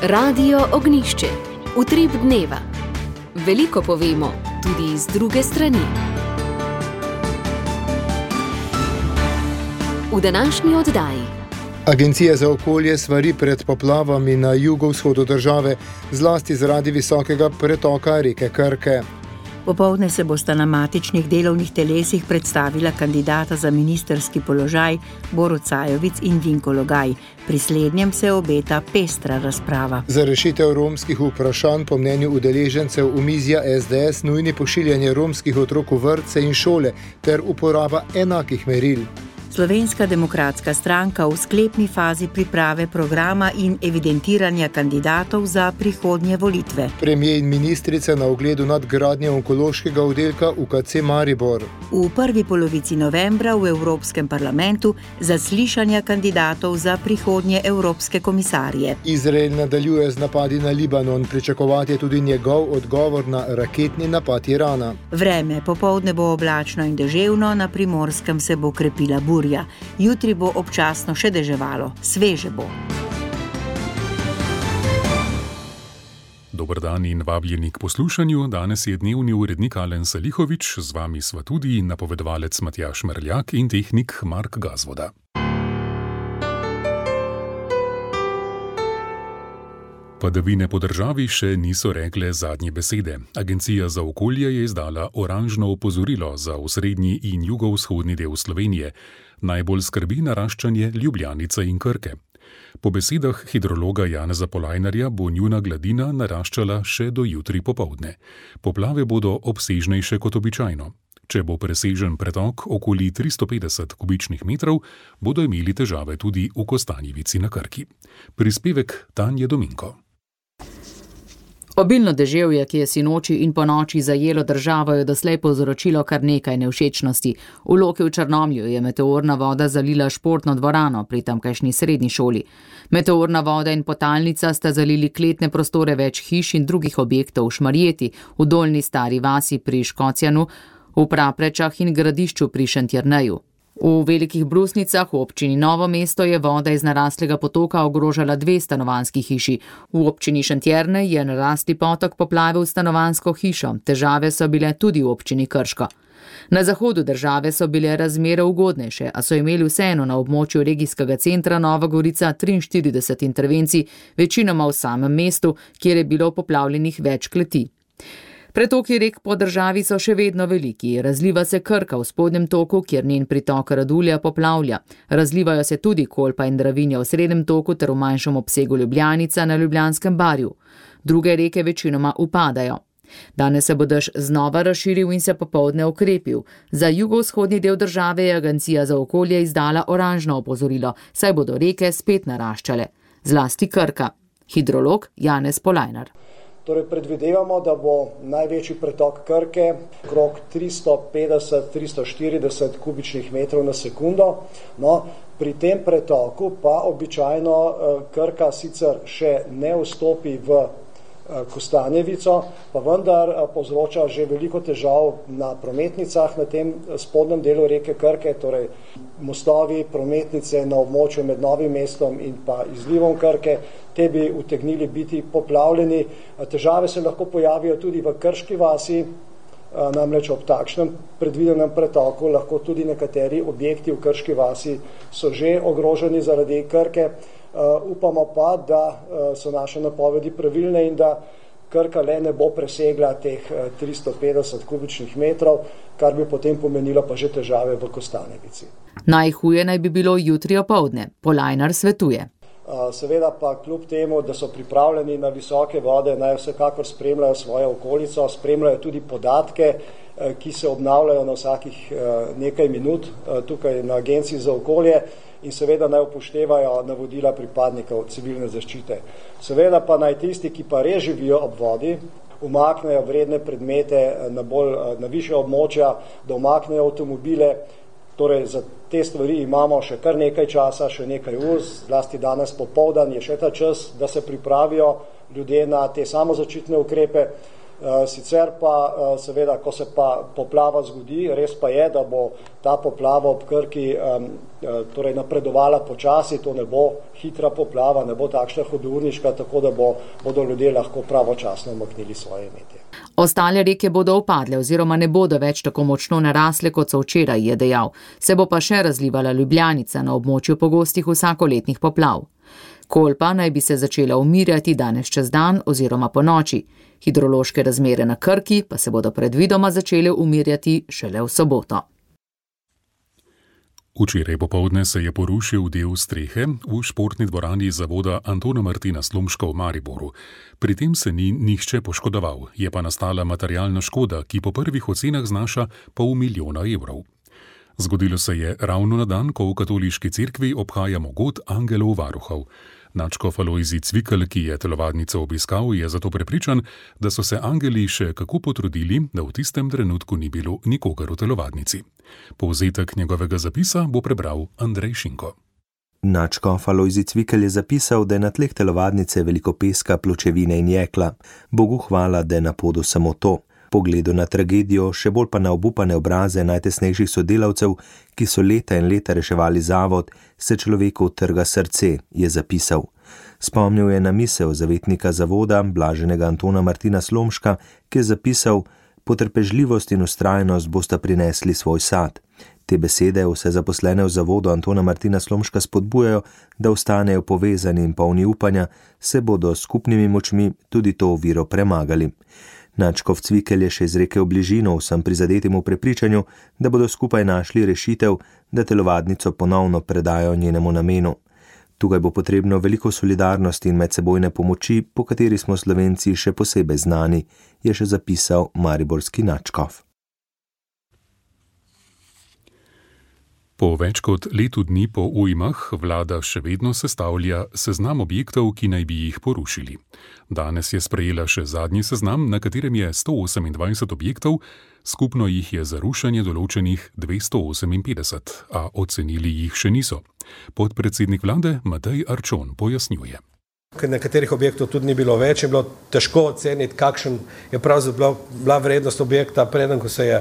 Radio Ognjišče. Utrip dneva. Veliko povemo, tudi iz druge strani. V današnji oddaji. Agencija za okolje svari pred poplavami na jugovzhodu države, zlasti zaradi visokega pretoka reke Krke. Popoldne se bosta na matičnih delovnih telesih predstavila kandidata za ministrski položaj Borut Sajovic in Vinko Logaj. Pri slednjem se obeta pestra razprava. Za rešitev romskih vprašanj po mnenju udeležencev omizja SDS nujni pošiljanje romskih otrok v vrtce in šole ter uporaba enakih meril. Slovenska demokratska stranka v sklepni fazi priprave programa in evidentiranja kandidatov za prihodnje volitve. Premier in ministrica na ogledu nadgradnje onkološkega oddelka UKC Maribor. V prvi polovici novembra v Evropskem parlamentu zaslišanja kandidatov za prihodnje evropske komisarje. Izrael nadaljuje z napadi na Libanon, pričakovati je tudi njegov odgovor na raketni napad Irana. Vreme, popoldne bo oblačno in deževno, na Primorskem se bo krepila burja. Jutri bo občasno še deževalo, sveže bo. Dober dan in vabljeni k poslušanju. Danes je dnevni urednik Alen Salihovič, z vami sva tudi napovedovalec Matjaž Merljak in tehnik Mark Gazvoda. Padavine po državi še niso rekle zadnje besede. Agencija za okolje je izdala oranžno opozorilo za osrednji in jugovzhodni del Slovenije. Najbolj skrbi naraščanje Ljubljanice in Krke. Po besedah hidrologa Janeza Polajnarja bo njuna gladina naraščala še do jutri popoldne. Poplave bodo obsežnejše kot običajno. Če bo presežen pretok okoli 350 kubičnih metrov, bodo imeli težave tudi v Kostanjevici na Krki. Prispevek Tanje Dominko. Obilno deževje, ki je sinoči in ponoči zajelo državo, je doslej povzročilo kar nekaj nevšečnosti. V Loki v Črnomlju je meteorna voda zalila športno dvorano pri tamkajšnji srednji šoli. Meteorna voda in potalnica sta zalili kletne prostore več hiš in drugih objektov v Šmarjeti, v Dolnji Stari vasi pri Škocjanu, v Praprečah in Gradišču pri Šentjerneju. V Velikih Brusnicah v občini Novo mesto je voda iz naraslega potoka ogrožala 2 stanovanjski hiši. V občini Šentjernej je narasli potok poplavil stanovanjsko hišo. Težave so bile tudi v občini Krško. Na zahodu države so bile razmere ugodnejše, a so imeli vseeno na območju regijskega centra Nova Gorica 43 intervencij, večinoma v samem mestu, kjer je bilo poplavljenih več kleti. Pretoki rek po državi so še vedno veliki. Razliva se Krka v spodnjem toku, kjer njen pritok Radulja poplavlja. Razlivajo se tudi Kolpa in Dravinja v srednjem toku ter v manjšem obsegu Ljubljanica na Ljubljanskem barju. Druge reke večinoma upadajo. Danes se bo dež znova razširil in se popoldne okrepil. Za jugovzhodni del države je Agencija za okolje izdala oranžno opozorilo, saj bodo reke spet naraščale. Zlasti Krka. Hidrolog Janez Polajnar. Torej predvidevamo, da bo največji pretok Krke okrog 350-340 kubičnih metrov na sekundo. No, pri tem pretoku pa običajno Krka sicer še ne vstopi v Kostanjevico, pa vendar povzroča že veliko težav na prometnicah na tem spodnjem delu reke Krke, torej mostovi, prometnice na območju med Novim mestom in pa izlivom Krke, te bi utegnili biti poplavljeni. Težave se lahko pojavijo tudi v Krški vasi, namreč ob takšnem predvidenem pretoku lahko tudi nekateri objekti v Krški vasi so že ogroženi zaradi Krke. Upamo pa, da so naše napovedi pravilne in da Krka le ne bo presegla teh 350 kubičnih metrov, kar bi potem pomenilo pa že težave v Kostanjevici. Najhuje naj bi bilo jutri opoldne, Polajnar svetuje. Seveda pa kljub temu, da so pripravljeni na visoke vode, naj vsekakor spremljajo svojo okolico, spremljajo tudi podatke, ki se obnavljajo na vsakih nekaj minut tukaj na Agenciji za okolje in seveda naj upoštevajo navodila pripadnikov civilne zaščite. Seveda pa naj tisti, ki pa res živijo ob vodi, umaknejo vredne predmete na višja območja, da umaknejo avtomobile. Torej za te stvari imamo še kar nekaj časa, še nekaj ur, zlasti danes popoldan je še ta čas, da se pripravijo ljudje na te samozaščitne ukrepe. Sicer pa seveda, ko se pa poplava zgodi, res pa je, da bo ta poplava ob Krki torej napredovala počasi, to ne bo hitra poplava, ne bo takšna hudourniška, tako da bodo ljudje lahko pravočasno umaknili svoje imetje. Ostale reke bodo upadle oziroma ne bodo več tako močno narasle, kot so včeraj, je dejal. Se bo pa še razlivala Ljubljanica na območju pogostih vsakoletnih poplav. Kolpa naj bi se začela umirjati danes čez dan oziroma po noči. Hidrološke razmere na Krki pa se bodo predvidoma začele umirjati šele v soboto. Včeraj popoldne se je porušil del strehe v športni dvorani zavoda Antona Martina Slomška v Mariboru. Pri tem se ni nihče poškodoval, je pa nastala materialna škoda, ki po prvih ocenah znaša $500,000 evrov. Zgodilo se je ravno na dan, ko v katoliški cerkvi obhajamo god angelov varuhov. Nadškof Alojzij Cvikl, ki je telovadnico obiskal, je zato prepričan, da so se angeli še kako potrudili, da v tistem trenutku ni bilo nikogar v telovadnici. Povzetek njegovega zapisa bo prebral Andrej Šinko. Nadškof Alojzij Cvikl je zapisal, da je na tleh telovadnice veliko peska, pločevine in jekla. Bogu hvala, da je na podu samo to. Pogledu na tragedijo, še bolj pa na obupane obraze najtesnejših sodelavcev, ki so leta in leta reševali zavod, se človeku trga srce, je zapisal. Spomnil je na misel zavetnika zavoda, blaženega Antona Martina Slomška, ki je zapisal: potrpežljivost in vztrajnost bosta prinesli svoj sad. Te besede vse zaposlene v zavodu Antona Martina Slomška spodbujajo, da ostanejo povezani in polni upanja, se bodo s skupnimi močmi tudi to oviro premagali. Nadškof Cvikl je še izrekel bližino vsem prizadetim v prepričanju, da bodo skupaj našli rešitev, da telovadnico ponovno predajo njenemu namenu. Tukaj bo potrebno veliko solidarnosti in medsebojne pomoči, po kateri smo Slovenci še posebej znani, je še zapisal mariborski nadškof. Po več kot letu dni po ujmah vlada še vedno sestavlja seznam objektov, ki naj bi jih porušili. Danes je sprejela še zadnji seznam, na katerem je 128 objektov, skupno jih je za rušenje določenih 258, a ocenili jih še niso. Podpredsednik vlade Matej Arčon pojasnjuje. Nekaterih objektov tudi ni bilo več, je bilo težko oceniti, kakšen je pravzaprav bila vrednost objekta, preden ko se je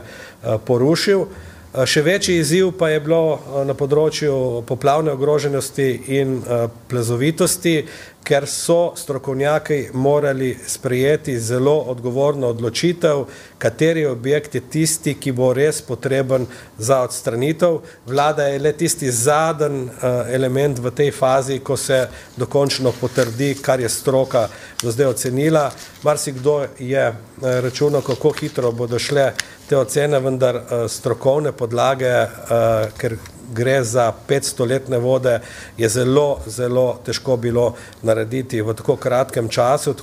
porušil. Še večji izziv pa je bilo na področju poplavne ogroženosti in plazovitosti, ker so strokovnjaki morali sprejeti zelo odgovorno odločitev, kateri objekt je tisti, ki bo res potreben za odstranitev. Vlada je le tisti zadnji element v tej fazi, ko se dokončno potrdi, kar je stroka do zdaj ocenila. Marsikdo je računal, kako hitro bodo šle te ocene, vendar strokovne podlage, ker gre za 500-letne vode, je zelo, zelo težko bilo narediti v tako kratkem času.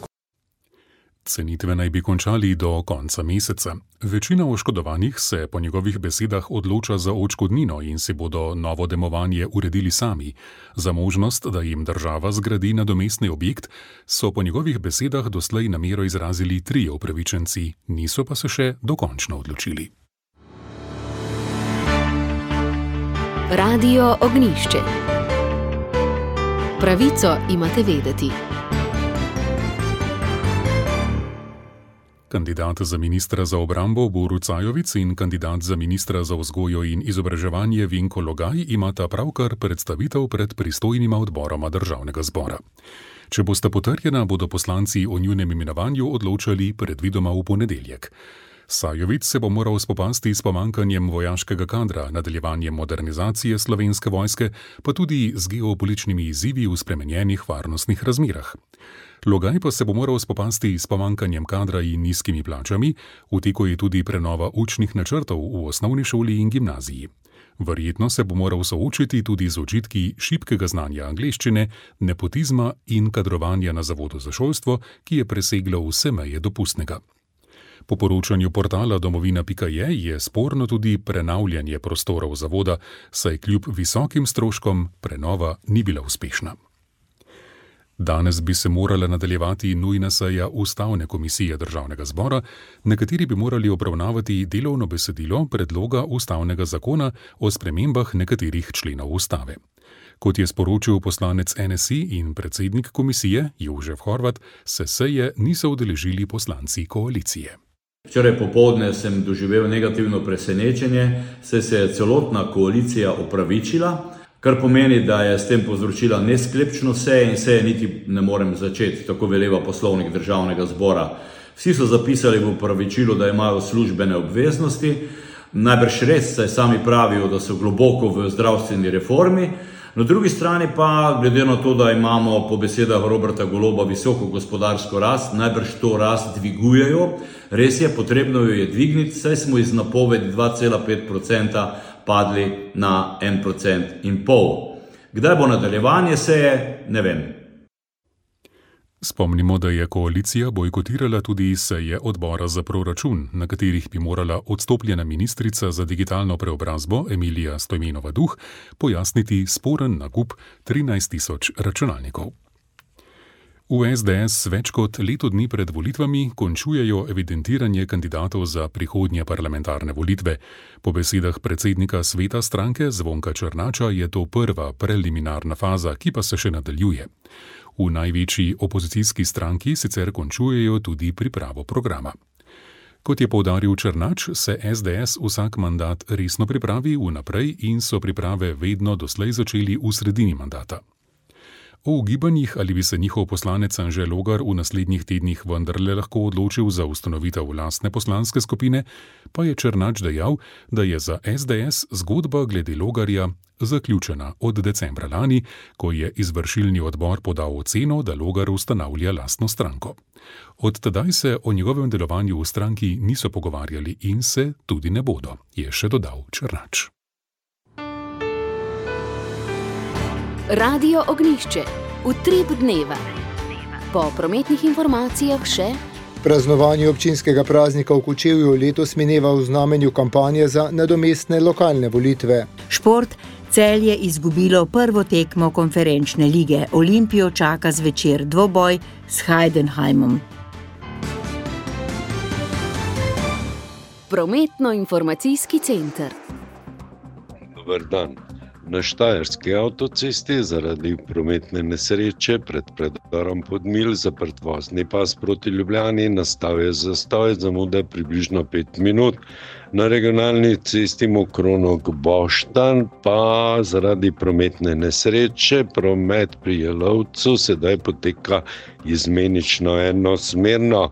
Cenitve naj bi končali do konca meseca. Večina oškodovanih se po njegovih besedah odloča za odškodnino in si bodo novo demovanje uredili sami. Za možnost, da jim država zgradi nadomestni objekt, so po njegovih besedah doslej namero izrazili 3 upravičenci, niso pa se še dokončno odločili. Radio Ognjišče. Pravico imate vedeti. Kandidat za ministra za obrambo Borut Sajovic in kandidat za ministra za vzgojo in izobraževanje Vinko Logaj imata pravkar predstavitev pred pristojnima odboroma državnega zbora. Če bosta potrjena, bodo poslanci o njunem imenovanju odločali predvidoma v ponedeljek. Sajovic se bo moral spopasti s pomanjkanjem vojaškega kadra, nadaljevanjem modernizacije Slovenske vojske, pa tudi z geopolitičnimi izzivi v spremenjenih varnostnih razmerah. Logaj pa se bo moral spopasti s pomanjkanjem kadra in nizkimi plačami, v teku je tudi prenova učnih načrtov v osnovni šoli in gimnaziji. Verjetno se bo moral soočiti tudi z očitki šibkega znanja angleščine, nepotizma in kadrovanja na zavodu za šolstvo, ki je preseglo vse meje dopustnega. Po poročanju portala domovina.je je sporno tudi prenavljanje prostorov zavoda, saj kljub visokim stroškom prenova ni bila uspešna. Danes bi se morala nadaljevati nujna seja Ustavne komisije državnega zbora, na kateri bi morali obravnavati delovno besedilo predloga ustavnega zakona o spremembah nekaterih členov ustave. Kot je sporočil poslanec NSI in predsednik komisije Jožef Horvat, se seje niso udeležili poslanci koalicije. Včeraj popoldne sem doživel negativno presenečenje, saj se je celotna koalicija opravičila, kar pomeni, da je s tem povzročila nesklepčnost seje in seje niti ne morem začeti, tako veleva poslovnik Državnega zbora. Vsi so zapisali v opravičilu, da imajo službene obveznosti, najbrž res, saj sami pravijo, da so globoko v zdravstveni reformi. Na drugi strani pa, glede na to, da imamo po besedah Roberta Goloba visoko gospodarsko rast, najbrž to rast dvigujejo. Res je, potrebno jo je dvigniti, saj smo iz napovedi 2,5% padli na 1,5%. Kdaj bo nadaljevanje seje, ne vem. Spomnimo, da je koalicija bojkotirala tudi seje odbora za proračun, na katerih bi morala odstopljena ministrica za digitalno preobrazbo Emilija Stojmenova-Duh pojasniti sporen nakup 13.000 računalnikov. V SDS več kot leto dni pred volitvami končujejo evidentiranje kandidatov za prihodnje parlamentarne volitve. Po besedah predsednika sveta stranke Zvonka Černača je to prva preliminarna faza, ki pa se še nadaljuje. V največji opozicijski stranki sicer končujejo tudi pripravo programa. Kot je poudaril Černač, se SDS vsak mandat resno pripravi vnaprej in so priprave vedno doslej začeli v sredini mandata. O ugibanjih, ali bi se njihov poslanec Anže Logar v naslednjih tednih vendarle lahko odločil za ustanovitev lastne poslanske skupine, pa je Černač dejal, da je za SDS zgodba glede Logarja zaključena od decembra lani, ko je izvršilni odbor podal oceno, da Logar ustanavlja lastno stranko. Od tedaj se o njegovem delovanju v stranki niso pogovarjali in se tudi ne bodo, je še dodal Černač. Radio Ognjišče, utrip dneva. Po prometnih informacijah še: praznovanje občinskega praznika v Kočevju letos mineva v znamenju kampanje za nadomestne lokalne volitve. Šport. Celje izgubilo prvo tekmo konferenčne lige. Olimpijo čaka zvečer dvoboj s Heidenheimom. Prometno-informacijski center. Dober dan. Na Štajerski avtocesti zaradi prometne nesreče pred predorom Podmilj zaprt vozni pas proti Ljubljani, nastal je zastoj, zamuda približno 5 minut. Na regionalni cesti Mokronog-Boštanj pa zaradi prometne nesreče promet pri Jelovcu sedaj poteka izmenično enosmerno.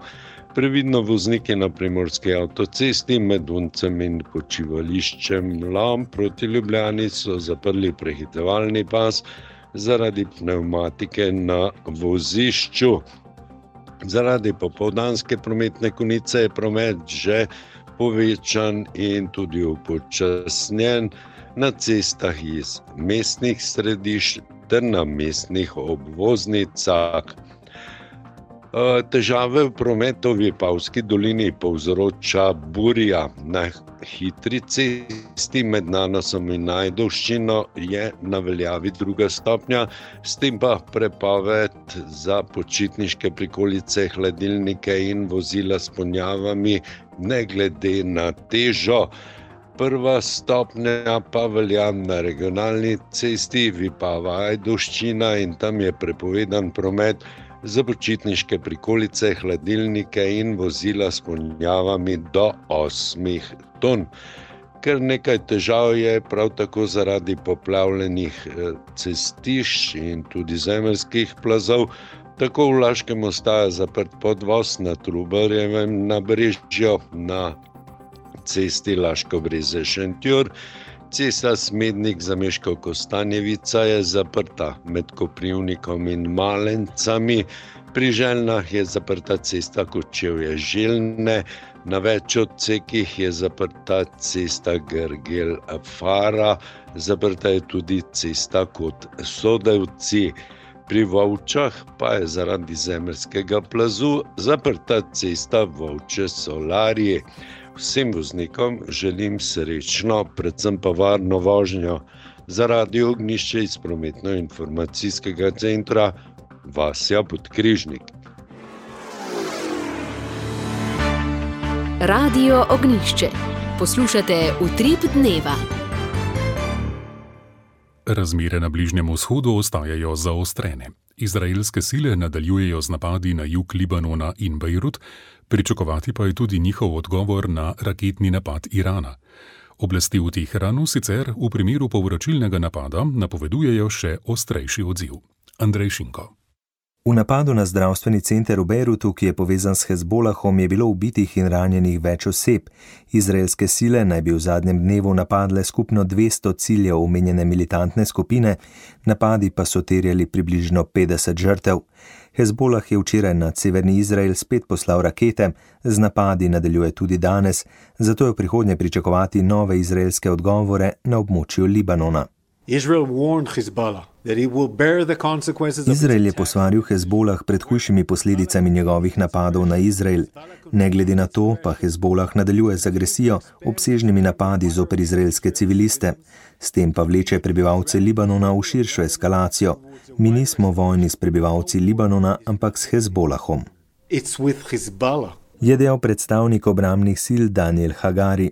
Previdno vozniki na primorski avtocesti med Uncem in počivališčem Lom proti Ljubljani so zaprli prehitevalni pas zaradi pnevmatike na vozišču. Zaradi popoldanske prometne konice je promet že povečan in tudi upočasnjen na cestah iz mestnih središč ter na mestnih obvoznicah. Težave v prometu v Vipavski dolini povzroča burja. Na hitri cesti med Nanosom in Ajdovščino je na veljavi 2. stopnja, s tem pa prepoved za počitniške prikolice, hladilnike in vozila s ponjavami ne glede na težo. 1. stopnja pa velja na regionalni cesti Vipava-Ajdovščina in tam je prepovedan promet za počitniške prikolice, hladilnike in vozila s ponjavami do 8 ton. Ker nekaj težav je prav tako zaradi poplavljenih cestišč in tudi zemeljskih plazov. Tako v Laškem ostaja zaprt podvoz na Trubarjevem nabrežju, na cesti Laško Breze-Šentjur. Cesta Smednik-Zameškov-Kostanjevica je zaprta med Koprivnikom in Malencami. Pri Željnah je zaprta cesta Kočevje-Željne. Na več odsekih je zaprta cesta Grgel-Fara. Zaprta je tudi cesta Kot-Sodevci. Pri Volčah pa je zaradi zemeljskega plazu zaprta cesta Volče-Solarje. Vsem voznikom želim srečno, predvsem pa varno vožnjo. Za Radio Ognjišče iz prometno-informacijskega centra Vasja Podkrižnik. Radio Ognjišče. Poslušate Utrip dneva. Razmere na Bližnjem vzhodu ostajajo zaostrene. Izraelske sile nadaljujejo z napadi na jug Libanona in Bejrut, pričakovati pa je tudi njihov odgovor na raketni napad Irana. Oblasti v Teheranu sicer v primeru povračilnega napada napovedujejo še ostrejši odziv. Andrej Šinko. V napadu na zdravstveni center v Bejrutu, ki je povezan s Hezbolahom, je bilo ubitih in ranjenih več oseb. Izraelske sile naj bi v zadnjem dnevu napadle skupno 200 ciljev omenjene militantne skupine, napadi pa so terjali približno 50 žrtev. Hezbolah je včeraj nad severni Izrael spet poslal rakete, z napadi nadaljuje tudi danes, zato je v prihodnje pričakovati nove izraelske odgovore na območju Libanona. Izrael je posvaril Hezbolah pred hujšimi posledicami njegovih napadov na Izrael. Ne glede na to, pa Hezbolah nadaljuje z agresijo, obsežnimi napadi zoper izraelske civiliste. S tem pa vleče prebivalce Libanona v širšo eskalacijo. Mi nismo vojni s prebivalci Libanona, ampak s Hezbolahom. Je dejal predstavnik obrambnih sil Daniel Hagari.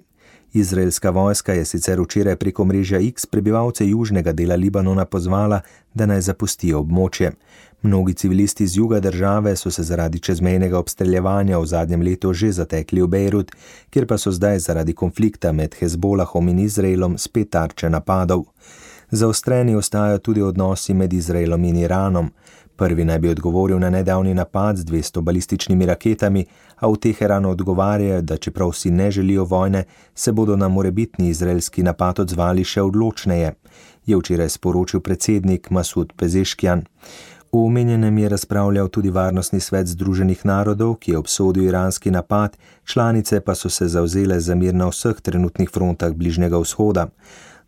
Izraelska vojska je sicer včeraj preko mreža X prebivalce južnega dela Libanona pozvala, da naj zapustijo območje. Mnogi civilisti z juga države so se zaradi čezmejnega obstreljevanja v zadnjem letu že zatekli v Bejrut, kjer pa so zdaj zaradi konflikta med Hezbolahom in Izraelom spet tarče napadov. Zaostreni ostajajo tudi odnosi med Izraelom in Iranom. Prvi naj bi odgovoril na nedavni napad z 200 balističnimi raketami, a v Teheranu odgovarjajo, da čeprav si ne želijo vojne, se bodo na morebitni izraelski napad odzvali še odločneje, je včeraj sporočil predsednik Masud Pezeškjan. V omenjenem je razpravljal tudi Varnostni svet Združenih narodov, ki je obsodil iranski napad, članice pa so se zavzele za mir na vseh trenutnih frontah Bližnjega vzhoda.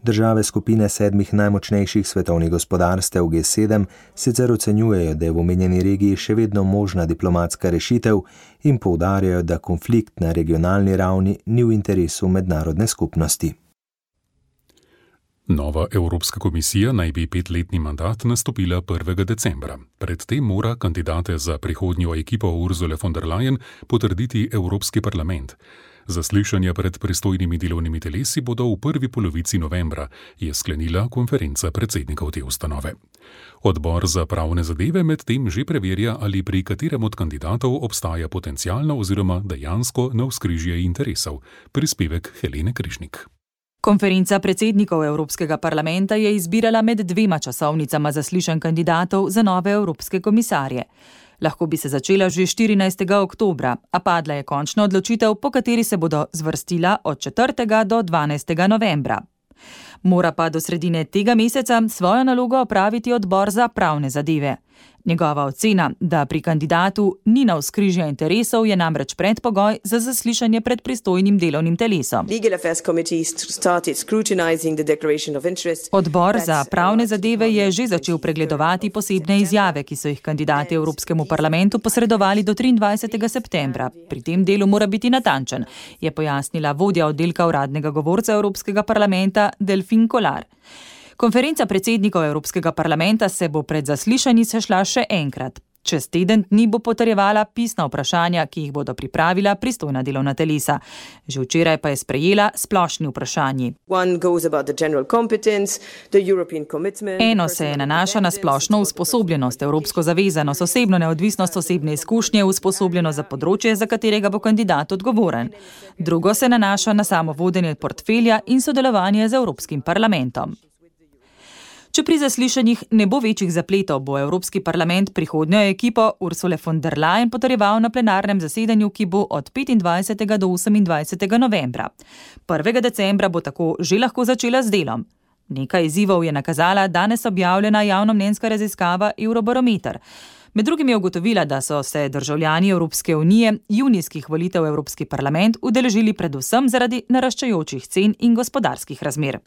Države skupine 7 najmočnejših svetovnih gospodarstev G7 sicer ocenjujejo, da je v omenjeni regiji še vedno možna diplomatska rešitev in poudarjajo, da konflikt na regionalni ravni ni v interesu mednarodne skupnosti. Nova Evropska komisija naj bi 5-letni mandat nastopila 1. decembra. Predtem mora kandidate za prihodnjo ekipo Ursule von der Leyen potrditi Evropski parlament. Zaslišanja pred pristojnimi delovnimi telesi bodo v prvi polovici novembra, je sklenila konferenca predsednikov te ustanove. Odbor za pravne zadeve medtem že preverja, ali pri katerem od kandidatov obstaja potencialno oziroma dejansko navzkrižje interesov. Prispevek Helene Križnik. Konferenca predsednikov Evropskega parlamenta je izbirala med 2 časovnicama zaslišanj kandidatov za nove evropske komisarje. Lahko bi se začela že 14. oktobra, a padla je končna odločitev, po kateri se bodo zvrstila od 4. do 12. novembra. Mora pa do sredine tega meseca svojo nalogo opraviti odbor za pravne zadeve. Njegova ocena, da pri kandidatu ni navzkrižja interesov, je namreč predpogoj za zaslišanje pred pristojnim delovnim telesom. Odbor za pravne zadeve je že začel pregledovati posebne izjave, ki so jih kandidati Evropskemu parlamentu posredovali do 23. septembra. Pri tem delu mora biti natančen, je pojasnila vodja oddelka uradnega govorca Evropskega parlamenta Delphine Collard. Konferenca predsednikov Evropskega parlamenta se bo pred zaslišanji sešla še enkrat. Čez teden dni bo potrjevala pisna vprašanja, ki jih bodo pripravila pristojna delovna telesa. Že včeraj pa je sprejela splošni vprašanji. Eno se nanaša na splošno usposobljenost, evropsko zavezanost, osebno neodvisnost, osebne izkušnje, usposobljenost za področje, za katerega bo kandidat odgovoren. Drugo se nanaša na samo vodenje portfelja in sodelovanje z Evropskim parlamentom. Če pri zaslišanjih ne bo večjih zapletov, bo Evropski parlament prihodnjo ekipo Ursule von der Leyen potrjeval na plenarnem zasedanju, ki bo od 25. do 28. novembra. 1. decembra bo tako že lahko začela z delom. Nekaj izzivov je nakazala danes objavljena javnomnenjska raziskava Eurobarometer. Med drugim je ugotovila, da so se državljani Evropske unije junijskih volitev v Evropski parlament udeležili predvsem zaradi naraščajočih cen in gospodarskih razmer.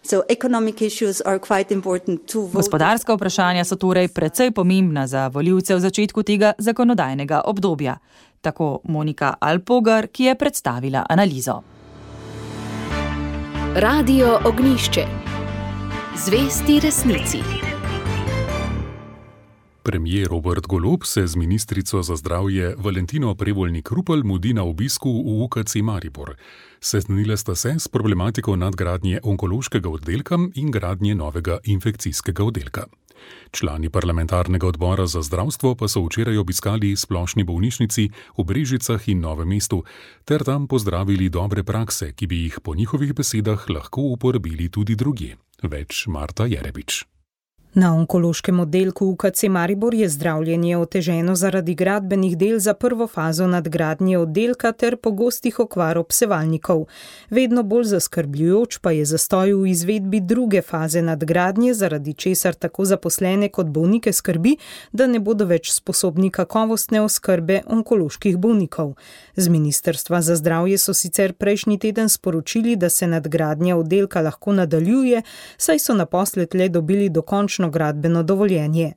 Gospodarska vprašanja so torej precej pomembna za volivce v začetku tega zakonodajnega obdobja. Tako Monika Alpogar, ki je predstavila analizo. Radio Ognjišče. Zvesti resnici. Premier Robert Golob se z ministrico za zdravje Valentino Prevolnik-Rupel mudi na obisku v UKC Maribor. Seznanila sta se s problematiko nadgradnje onkološkega oddelka in gradnje novega infekcijskega oddelka. Člani parlamentarnega odbora za zdravstvo pa so včeraj obiskali splošni bolnišnici v Brežicah in Novem mestu ter tam pozdravili dobre prakse, ki bi jih po njihovih besedah lahko uporabili tudi drugje. Več Marta Jerebič. Na onkološkem oddelku UKC Maribor je zdravljenje oteženo zaradi gradbenih del za prvo fazo nadgradnje oddelka ter pogostih okvar obsevalnikov. Vedno bolj zaskrbljujoč pa je zastoj v izvedbi druge faze nadgradnje, zaradi česar tako zaposlene kot bolnike skrbi, da ne bodo več sposobni kakovostne oskrbe onkoloških bolnikov. Z Ministrstva za zdravje so sicer prejšnji teden sporočili, da se nadgradnja oddelka lahko nadaljuje, saj so naposled le dobili dokončno gradbeno dovoljenje.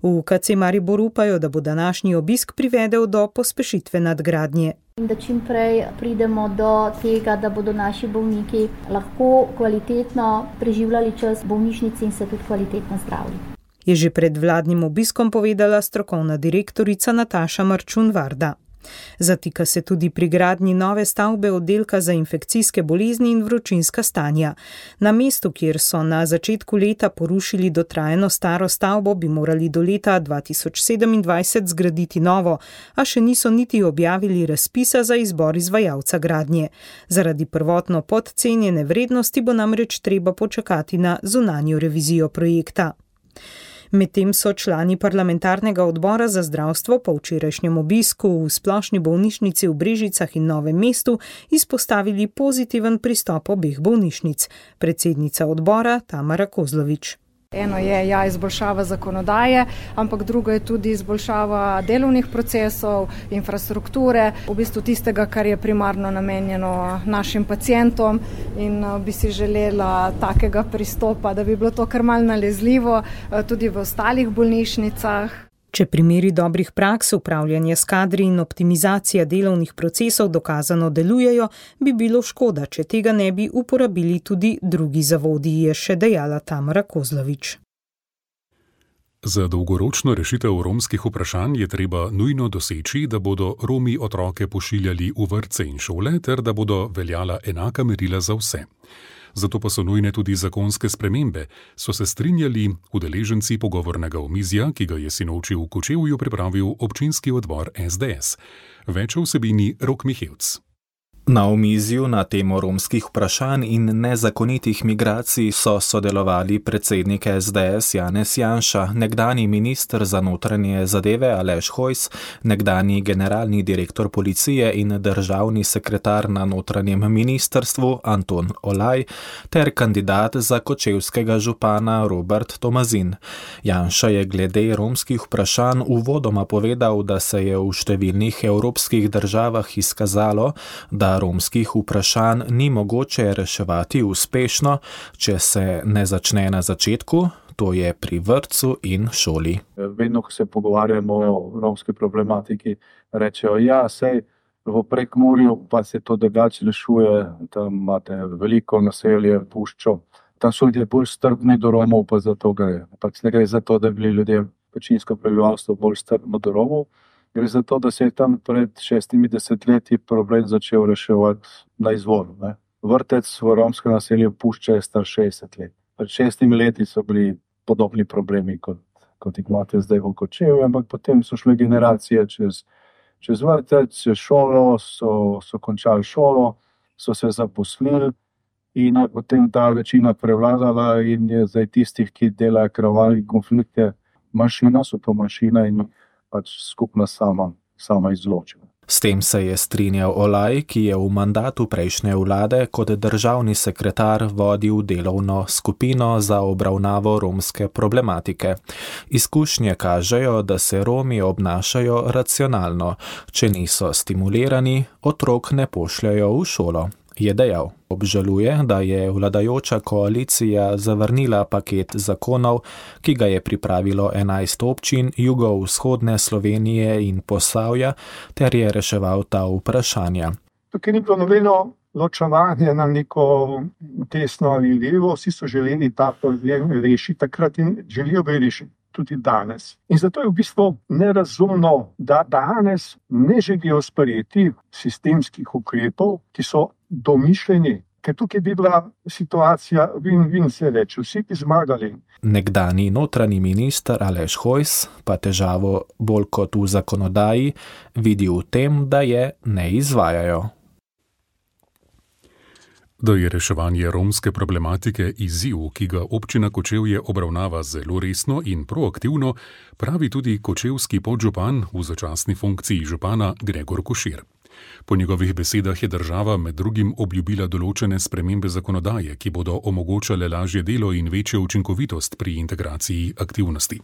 V UKC Maribor upajo, da bo današnji obisk privedel do pospešitve nadgradnje. Da čim prej pridemo do tega, da bodo naši bolniki lahko kvalitetno preživljali čas v bolnišnici in se tudi kvalitetno zdravili. Je že pred vladnim obiskom povedala strokovna direktorica Nataša Marčun-Varda. Zatika se tudi pri gradnji nove stavbe oddelka za infekcijske bolezni in vročinska stanja. Na mestu, kjer so na začetku leta porušili dotrajano staro stavbo, bi morali do leta 2027 zgraditi novo, a še niso niti objavili razpisa za izbor izvajalca gradnje. Zaradi prvotno podcenjene vrednosti bo namreč treba počakati na zunanjo revizijo projekta. Medtem so člani parlamentarnega odbora za zdravstvo po včerajšnjem obisku v splošni bolnišnici v Brežicah in Novem mestu izpostavili pozitiven pristop obeh bolnišnic. Predsednica odbora Tamara Kozlovič. Eno je izboljšava zakonodaje, ampak drugo je tudi izboljšava delovnih procesov, infrastrukture, v bistvu tistega, kar je primarno namenjeno našim pacientom, in bi si želela takega pristopa, da bi bilo to kar malo nalezljivo tudi v ostalih bolnišnicah. Če primeri dobrih praks, upravljanje s kadri in optimizacija delovnih procesov dokazano delujejo, bi bilo škoda, če tega ne bi uporabili tudi drugi zavodi, je še dejala Tamara Kozlovič. Za dolgoročno rešitev romskih vprašanj je treba nujno doseči, da bodo Romi otroke pošiljali v vrtce in šole ter da bodo veljala enaka merila za vse. Zato pa so nujne tudi zakonske spremembe, so se strinjali udeleženci pogovornega omizja, ki ga je sinoči v Kočevju pripravil občinski odbor SDS. Več o vsebini Rok Mihevc. Na omizju na temo romskih vprašanj in nezakonitih migracij so sodelovali predsednik SDS Janez Janša, nekdanji minister za notranje zadeve Aleš Hojs, nekdanji generalni direktor policije in državni sekretar na notranjem ministrstvu Anton Olaj ter kandidat za kočevskega župana Robert Tomazin. Janša je glede romskih vprašanj uvodoma povedal, da se je v številnih evropskih državah izkazalo, da romskih vprašanj ni mogoče reševati uspešno, če se ne začne na začetku, to je pri vrtcu in šoli. Vedno, ko se pogovarjamo o romski problematiki, rečejo, sej v Prekmurju pa se to drugače rešuje, tam imate veliko naselje, puščo, tam so ljudje bolj strpni do Romov, pa zato gre. Pač ne gre za to, da bi bili ljudje, večinsko prebivalstvo, bolj strpno do Romov. Gre za to, da se je tam pred 60 leti problem začel reševati na izvoru. Vrtec v romskem naselju Pušča je star 60 let. Pred 6 leti so bili podobni problemi, kot jih imate zdaj v Kočevju, ampak potem so šle generacije čez vrtec, čez šolo, so končali šolo, so se zaposlili in je potem ta večina prevladala in je zdaj tistih, ki delajo krvave konflikte, manjšina, so to manjšina in pač skupna sama izločila. S tem se je strinjal Olaj, ki je v mandatu prejšnje vlade kot državni sekretar vodil delovno skupino za obravnavo romske problematike. Izkušnje kažejo, da se Romi obnašajo racionalno. Če niso stimulirani, otrok ne pošljajo v šolo, je dejal. Obžaluje, da je vladajoča koalicija zavrnila paket zakonov, ki ga je pripravilo 11 občin jugovzhodne Slovenije in Posavja, ter je reševal ta vprašanja. Tukaj ni bilo nobeno ločevanje na neko desno ali levo, vsi so želeli ta problem rešiti takrat in želijo ga rešiti. tudi danes. In zato je v bistvu nerazumno, da danes ne želijo sprejeti sistemskih ukrepov, ki so domišljeni, ker tukaj bi bila situacija win-win, se reče, vsi bi zmagali. Nekdanji notranji minister Aleš Hojs pa težavo bolj kot v zakonodaji vidi v tem, da je ne izvajajo. Da je reševanje romske problematike izziv, ki ga občina Kočevje obravnava zelo resno in proaktivno, pravi tudi kočevski podžupan v začasni funkciji župana Gregor Košir. Po njegovih besedah je država med drugim obljubila določene spremembe zakonodaje, ki bodo omogočale lažje delo in večjo učinkovitost pri integraciji aktivnosti.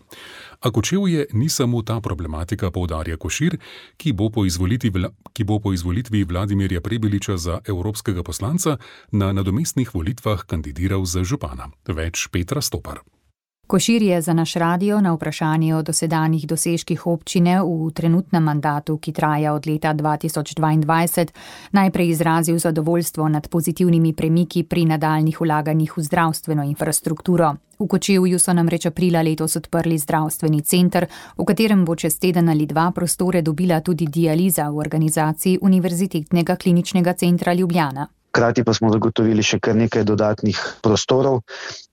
A Kočevje ni samo ta problematika, poudarja Košir, ki bo po izvolitvi Vladimirja Prebiliča za evropskega poslanca na nadomestnih volitvah kandidiral za župana. Več Petra Stopar. Košir je za naš radio na vprašanje o dosedanjih dosežkih občine v trenutnem mandatu, ki traja od leta 2022, najprej izrazil zadovoljstvo nad pozitivnimi premiki pri nadaljnih vlaganjih v zdravstveno infrastrukturo. V Kočevju so namreč aprila letos odprli zdravstveni center, v katerem bo čez teden ali dva prostore dobila tudi dializa v organizaciji Univerzitetnega kliničnega centra Ljubljana. Hkrati pa smo zagotovili še kar nekaj dodatnih prostorov.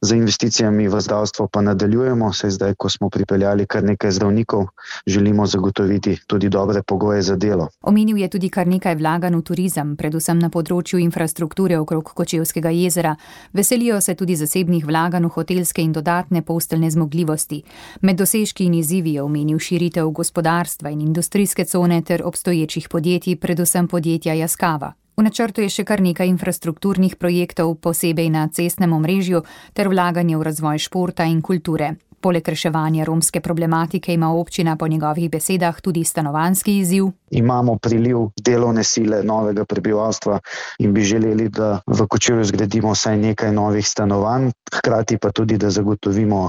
Za investicijami v zdravstvo pa nadaljujemo, saj zdaj, ko smo pripeljali kar nekaj zdravnikov, želimo zagotoviti tudi dobre pogoje za delo. Omenil je tudi kar nekaj vlaganj v turizem, predvsem na področju infrastrukture okrog Kočevskega jezera. Veselijo se tudi zasebnih vlaganj v hotelske in dodatne posteljne zmogljivosti. Med dosežki in izzivi je omenil širitev gospodarstva in industrijske cone ter obstoječih podjetij, predvsem podjetja Yaskawa. V načrtu je še kar nekaj infrastrukturnih projektov, posebej na cestnem omrežju, ter vlaganje v razvoj športa in kulture. Poleg reševanja romske problematike ima občina po njegovih besedah tudi stanovanjski izziv. Imamo priliv delovne sile novega prebivalstva in bi želeli, da v Kočevju zgradimo vsaj nekaj novih stanovanj, hkrati pa tudi, da zagotovimo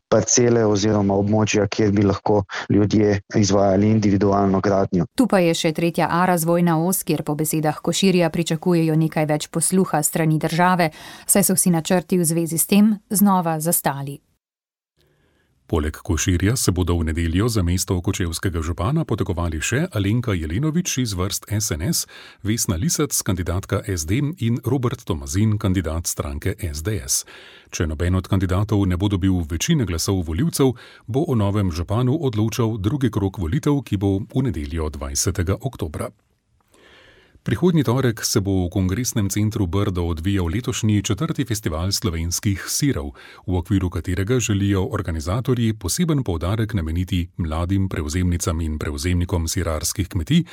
parcele oziroma območja, kjer bi lahko ljudje izvajali individualno gradnjo. Tu pa je še 3A razvojna os, kjer po besedah Koširja pričakujejo nekaj več posluha strani države, saj so vsi načrti v zvezi s tem znova zastali. Poleg Koširja se bodo v nedeljo za mesto kočevskega župana potegovali še Alenka Jelenovič iz vrst SNS, Vesna Lisec, kandidatka SD in Robert Tomazin, kandidat stranke SDS. Če noben od kandidatov ne bo dobil večine glasov volivcev, bo o novem županu odločal drugi krog volitev, ki bo v nedeljo 20. oktobra. Prihodnji torek se bo v Kongresnem centru Brdo odvijal letošnji 4. festival slovenskih sirov, v okviru katerega želijo organizatorji poseben poudarek nameniti mladim prevzemnicam in prevzemnikom sirarskih kmetij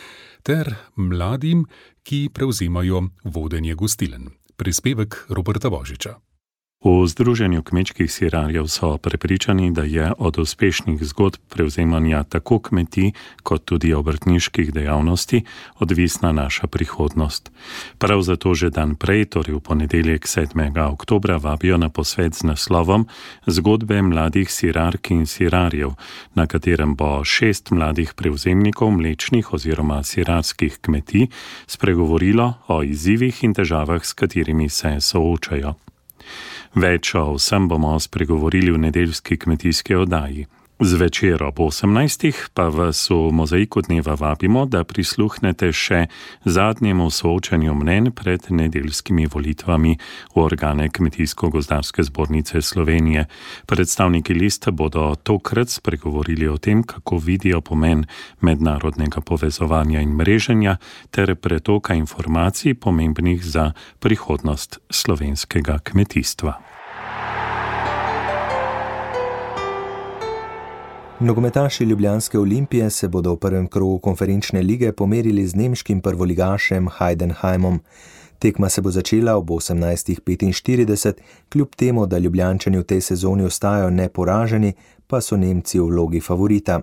ter mladim, ki prevzemajo vodenje gostiln. Prispevek Roberta Božiča. V Združenju kmečkih sirarjev so prepričani, da je od uspešnih zgodb prevzemanja tako kmetij kot tudi obrtniških dejavnosti odvisna naša prihodnost. Prav zato že dan prej, torej v ponedeljek 7. oktobra, vabijo na posvet z naslovom Zgodbe mladih sirark in sirarjev, na katerem bo 6 mladih prevzemnikov mlečnih oziroma sirarskih kmetij spregovorilo o izzivih in težavah, s katerimi se soočajo. Več o vsem bomo spregovorili v nedeljski kmetijski oddaji. Zvečer ob 18. pa vas v mozaiku dneva vabimo, da prisluhnete še zadnjemu soočanju mnenj pred nedeljskimi volitvami v organe Kmetijsko-gozdarske zbornice Slovenije. Predstavniki liste bodo tokrat spregovorili o tem, kako vidijo pomen mednarodnega povezovanja in mreženja ter pretoka informacij pomembnih za prihodnost slovenskega kmetijstva. Nogometaši ljubljanske Olimpije se bodo v prvem krogu konferenčne lige pomerili z nemškim prvoligašem Heidenheimom. Tekma se bo začela ob 18:45, kljub temu, da Ljubljančani v tej sezoni ostajajo neporaženi, pa so Nemci v vlogi favorita.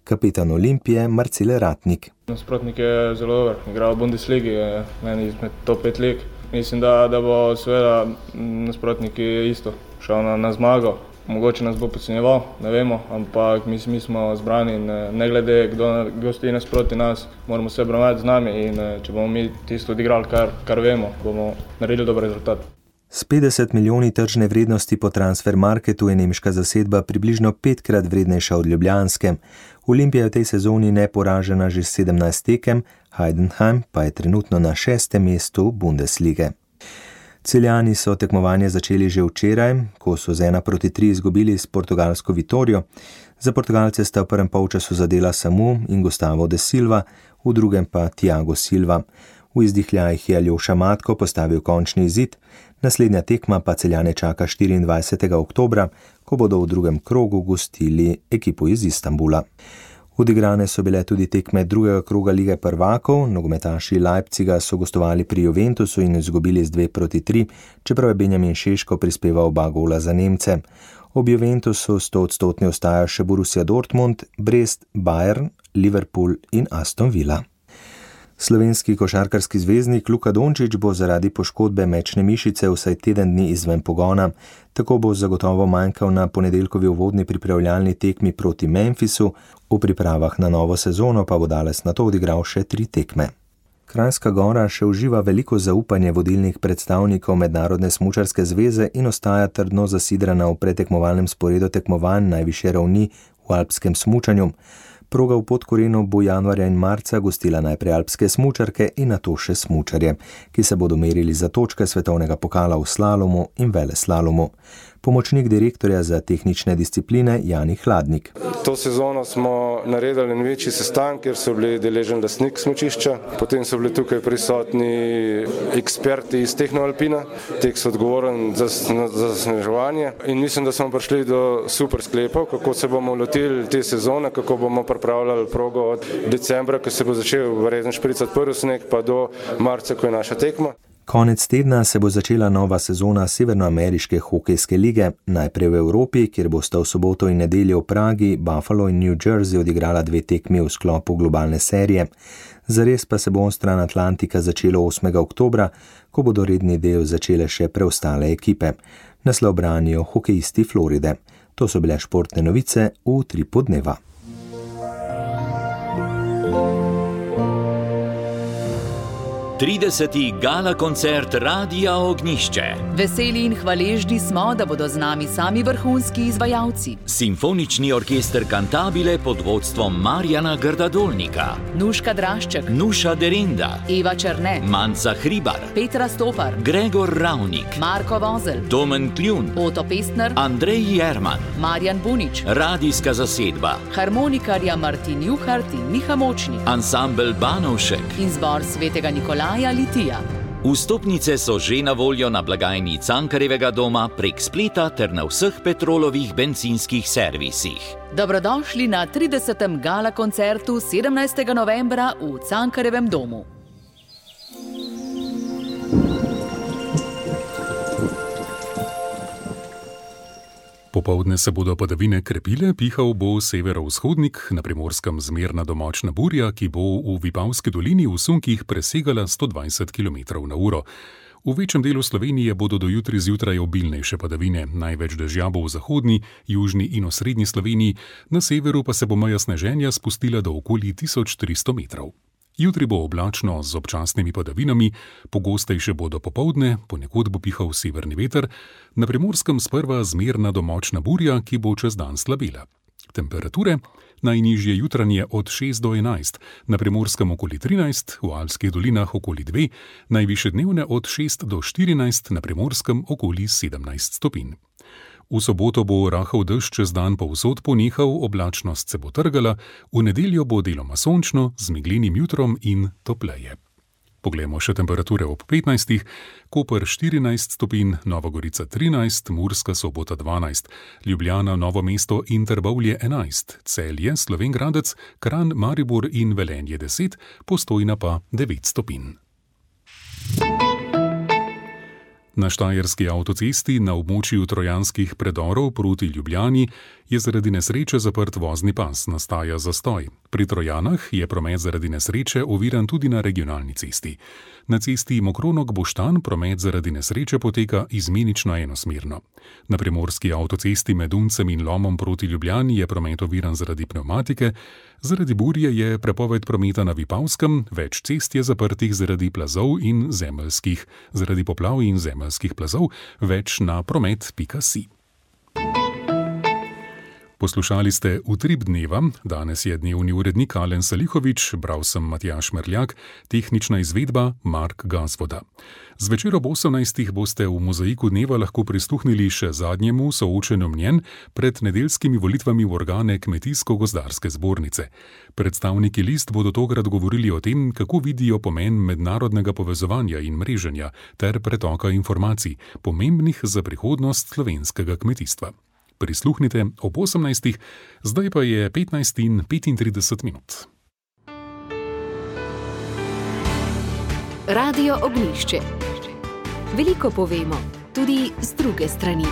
Kapetan Olimpije Marcel Ratnik. Nasprotnik je zelo dober, igra v Bundesligi, je meni izmed top 5 lig. Mislim, da bo seveda nasprotnik isto šel na zmago. Mogoče nas bo podcenjeval, ne vemo, ampak mi smo zbrani in ne glede, kdo stoji nasproti nas, moramo se obravnavati z nami in če bomo mi tisto odigrali, kar vemo, bomo naredili dober rezultat. S 50 milijoni tržne vrednosti po Transfermarktu je nemška zasedba približno 5-krat vrednejša od ljubljanske. Olimpija je v tej sezoni neporažena že 17 tekem, Heidenheim pa je trenutno na 6. mestu Bundeslige. Celjani so tekmovanje začeli že včeraj, ko so z 1-3 izgubili s portugalsko Vitorijo. Za Portugalce sta v prvem polčasu zadela Samu in Gustavo de Silva, v drugem pa Thiago Silva. V izdihljajih je Aljoša Matko postavil končni izid, naslednja tekma pa Celjane čaka 24. oktobra, ko bodo v drugem krogu gostili ekipo iz Istanbula. Odigrane so bile tudi tekme drugega kroga Lige prvakov, nogometaši Leipziga so gostovali pri Juventusu in izgubili z 2-3, čeprav je Benjamin Šeško prispeval oba gola za Nemce. Ob Juventusu 100% ostajajo še Borussia Dortmund, Brest, Bayern, Liverpool in Aston Villa. Slovenski košarkarski zvezdnik Luka Dončić bo zaradi poškodbe mečne mišice vsaj teden dni izven pogona. Tako bo zagotovo manjkal na ponedeljkovi uvodni pripravljalni tekmi proti Memphisu, v pripravah na novo sezono pa bo Dales nato odigral še 3 tekme. Kranjska Gora še uživa veliko zaupanje vodilnih predstavnikov Mednarodne smučarske zveze in ostaja trdno zasidrana v pretekmovalnem sporedu tekmovanj najvišje ravni v alpskem smučanju. Proga v Podkorenu bo januarja in marca gostila najprej alpske smučarke in nato še smučarje, ki se bodo merili za točke svetovnega pokala v slalomu in veleslalomu. Pomočnik direktorja za tehnične discipline Jani Hladnik. To sezono smo naredili en večji sestanek, kjer so bili deležen lastnik smučišča, potem so bili tukaj prisotni eksperti iz Tehnoalpina, tek so odgovoren za zasneževanje in mislim, da smo prišli do super sklepov, kako se bomo lotili te sezone, kako bomo pripravljali progo od decembra, ko se bo začel vrezen špricati prvi sneg, pa do marca, ko je naša tekma. Konec tedna se bo začela nova sezona Severnoameriške hokejske lige, najprej v Evropi, kjer bosta v soboto in nedeljo v Pragi, Buffalo in New Jersey odigrala 2 tekmi v sklopu globalne serije. Zares pa se bo onstran Atlantika začelo 8. oktobra, ko bodo redni del začele še preostale ekipe. Naslov branijo hokejisti Floride. To so bile športne novice v Utripu dneva. Gala koncert Radia Ognjišče. Veseli in hvaležni smo, da bodo z nami sami vrhunski izvajalci. Simfonični orkester Cantabile pod vodstvom Marjana Grdadolnika, Nuška Drašček, Nuša Derinda, Eva Černe, Manca Hribar, Petra Stopar, Gregor Ravnik, Marko Vozel, Domen Kljun, Oto Pestner, Andrej Jerman, Marjan Bunič, radijska zasedba, harmonikarja Martin Juhart in Miha Močnik, ansambel Banovšek in zbor Svetega Nikolaja Litija. Vstopnice so že na voljo na blagajni Cankarjevega doma prek spleta ter na vseh Petrolovih bencinskih servisih. Dobrodošli na 30. gala koncertu 17. novembra v Cankarjevem domu. Popoldne se bodo padavine krepile, pihal bo severovzhodnik, na Primorskem zmerna domočna burja, ki bo v Vipavski dolini v sunkih presegala 120 km/h. V večjem delu Slovenije bodo do jutri zjutraj obilnejše padavine, največ dežja bo v zahodni, južni in osrednji Sloveniji, na severu pa se bo meja sneženja spustila do okoli 1300 metrov. Jutri bo oblačno z občasnimi padavinami, pogostejše bodo popoldne, ponekod bo pihal severni veter, na Primorskem sprva zmerna domočna burja, ki bo čez dan slabela. Temperature najnižje jutranje od 6 do 11, na Primorskem okoli 13, v Alpskih dolinah okoli 2, najvišje dnevne od 6 do 14, na Primorskem okoli 17 stopinj. V soboto bo rahel dež čez dan povsod ponehal, oblačnost se bo trgala, v nedeljo bo deloma sončno, z meglenim jutrom in topleje. Poglejmo še temperature ob 15, Koper 14 stopinj, Nova Gorica 13, Murska Sobota 12, Ljubljana, Novo mesto in Trbovlje 11, Celje, Slovenj Gradec, Kranj, Maribor in Velenje 10, Postojna pa 9 stopinj. Na štajerski avtocesti na območju Trojanskih predorov proti Ljubljani je zaradi nesreče zaprt vozni pas, nastaja zastoj. Pri Trojanah je promet zaradi nesreče oviran tudi na regionalni cesti. Na cesti Mokronog-Boštan promet zaradi nesreče poteka izmenično enosmerno. Na primorski avtocesti med Uncem in Lomom proti Ljubljani je promet oviran zaradi pnevmatike, zaradi burje je prepoved prometa na Vipavskem, več cest je zaprtih zaradi plazov in zemeljskih, zaradi poplav in zemeljskih plazov, več na promet.si. Poslušali ste Utrip dneva, danes je dnevni urednik Alen Salihovič, bral sem Matjaž Merljak, tehnična izvedba Mark Gazvoda. Zvečer ob 18. boste v Mozaiku dneva lahko prisluhnili še zadnjemu soočenju mnenj pred nedeljskimi volitvami v organe Kmetijsko-gozdarske zbornice. Predstavniki list bodo tokrat govorili o tem, kako vidijo pomen mednarodnega povezovanja in mreženja ter pretoka informacij, pomembnih za prihodnost slovenskega kmetijstva. Prisluhnite ob 18. Zdaj pa je 15:35. Radio Ognjišče. Veliko povemo, tudi z druge strani.